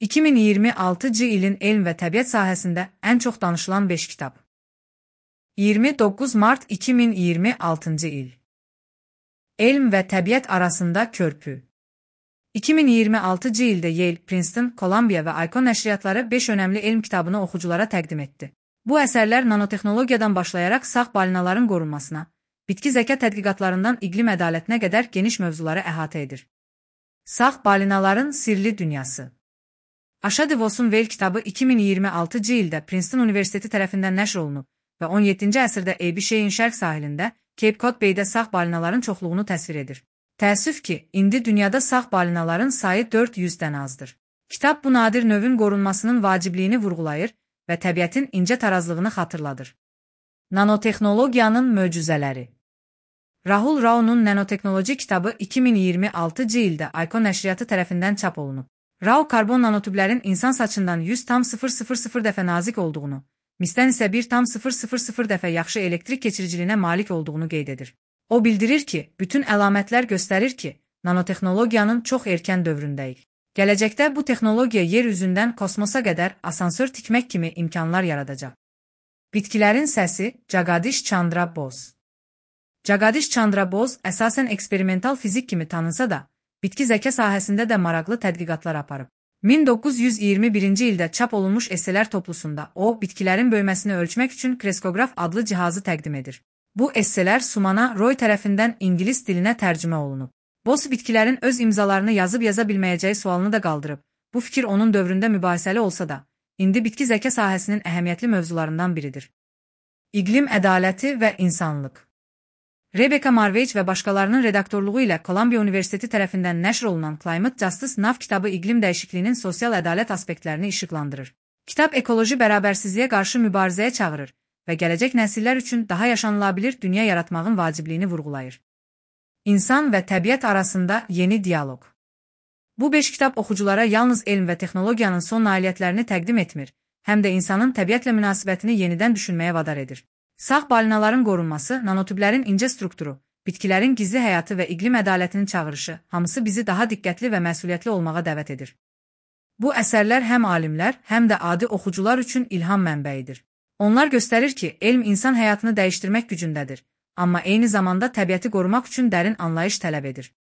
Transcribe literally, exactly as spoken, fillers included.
iki min iyirmi altıncı ilin elm və təbiət sahəsində ən çox danışılan beş kitab. iyirmi doqquz Mart iki min iyirmi altıncı il. Elm və təbiət arasında körpü. iki min iyirmi altıncı ildə Yale, Princeton, Kolumbiya və Icon nəşriyyatları beş önəmli elm kitabını oxuculara təqdim etdi. Bu əsərlər nanotexnologiyadan başlayaraq sağ balinaların qorunmasına, bitki zəka tədqiqatlarından iqlim ədalətinə qədər geniş mövzuları əhatə edir. Sağ balinaların sirli dünyası. Aşa Devos'un Whale kitabı iki min iyirmi altıncı ildə Princeton Universiteti tərəfindən nəşr olunub və on yeddinci əsrdə A B Shay'in şərq sahilində Cape Cod Bay'də sağ balinaların çoxluğunu təsvir edir. Təəssüf ki, indi dünyada sağ balinaların sayı dörd yüzdən azdır. Kitab bu nadir növün qorunmasının vacibliyini vurğulayır və təbiətin incə tarazlığını xatırladır. Nanotexnologiyanın möcüzələri. Rahul Rao'nun Nanotexnology kitabı iki min iyirmi altıncı ildə Icon nəşriyyatı tərəfindən çap olunub. Rao karbon nanotüblərin insan saçından yüz tam sıfır sıfır sıfır dəfə nazik olduğunu, misdən isə bir tam sıfır sıfır sıfır dəfə yaxşı elektrik keçiriciliyinə malik olduğunu qeyd edir. O bildirir ki, bütün əlamətlər göstərir ki, nanotexnologiyanın çox erkən dövründəyik. Gələcəkdə bu texnologiya yer üzündən kosmosa qədər asansör tikmək kimi imkanlar yaradacaq. Bitkilərin səsi Jagadish Chandra Bose. Jagadish Chandra Bose əsasən eksperimental fizik kimi tanınsa da, bitki zəka sahəsində də maraqlı tədqiqatlar aparıb. min doqquz yüz iyirmi birinci ildə çap olunmuş esselər toplusunda o, bitkilərin böyüməsini ölçmək üçün kreskograf adlı cihazı təqdim edir. Bu esselər Sumana Roy tərəfindən ingilis dilinə tərcümə olunub. Bose bitkilərin öz imzalarını yazıb yaza bilməyəcəyi sualını da qaldırıb. Bu fikir onun dövründə mübahisəli olsa da, indi bitki zəka sahəsinin əhəmiyyətli mövzularından biridir. İqlim ədaləti və insanlıq. Rebecca Marvage və başqalarının redaktorluğu ilə Kolumbiya Universiteti tərəfindən nəşr olunan Climate Justice Now kitabı iqlim dəyişikliyinin sosial ədalət aspektlərini işıqlandırır. Kitab ekoloji bərabərsizliyə qarşı mübarizəyə çağırır və gələcək nəsillər üçün daha yaşanılabilir dünya yaratmağın vacibliyini vurğulayır. İnsan və təbiət arasında yeni dialoq. Bu beş kitab oxuculara yalnız elm və texnologiyanın son nailiyyətlərini təqdim etmir, həm də insanın təbiətlə münasibətini yenidən düşünməyə vadar edir. Sağ balinaların qorunması, nanotüblərin incə strukturu, bitkilərin gizli həyatı və iqlim ədalətinin çağırışı, hamısı bizi daha diqqətli və məsuliyyətli olmağa dəvət edir. Bu əsərlər həm alimlər, həm də adi oxucular üçün ilham mənbəyidir. Onlar göstərir ki, elm insan həyatını dəyişdirmək gücündədir, amma eyni zamanda təbiəti qorumaq üçün dərin anlayış tələb edir.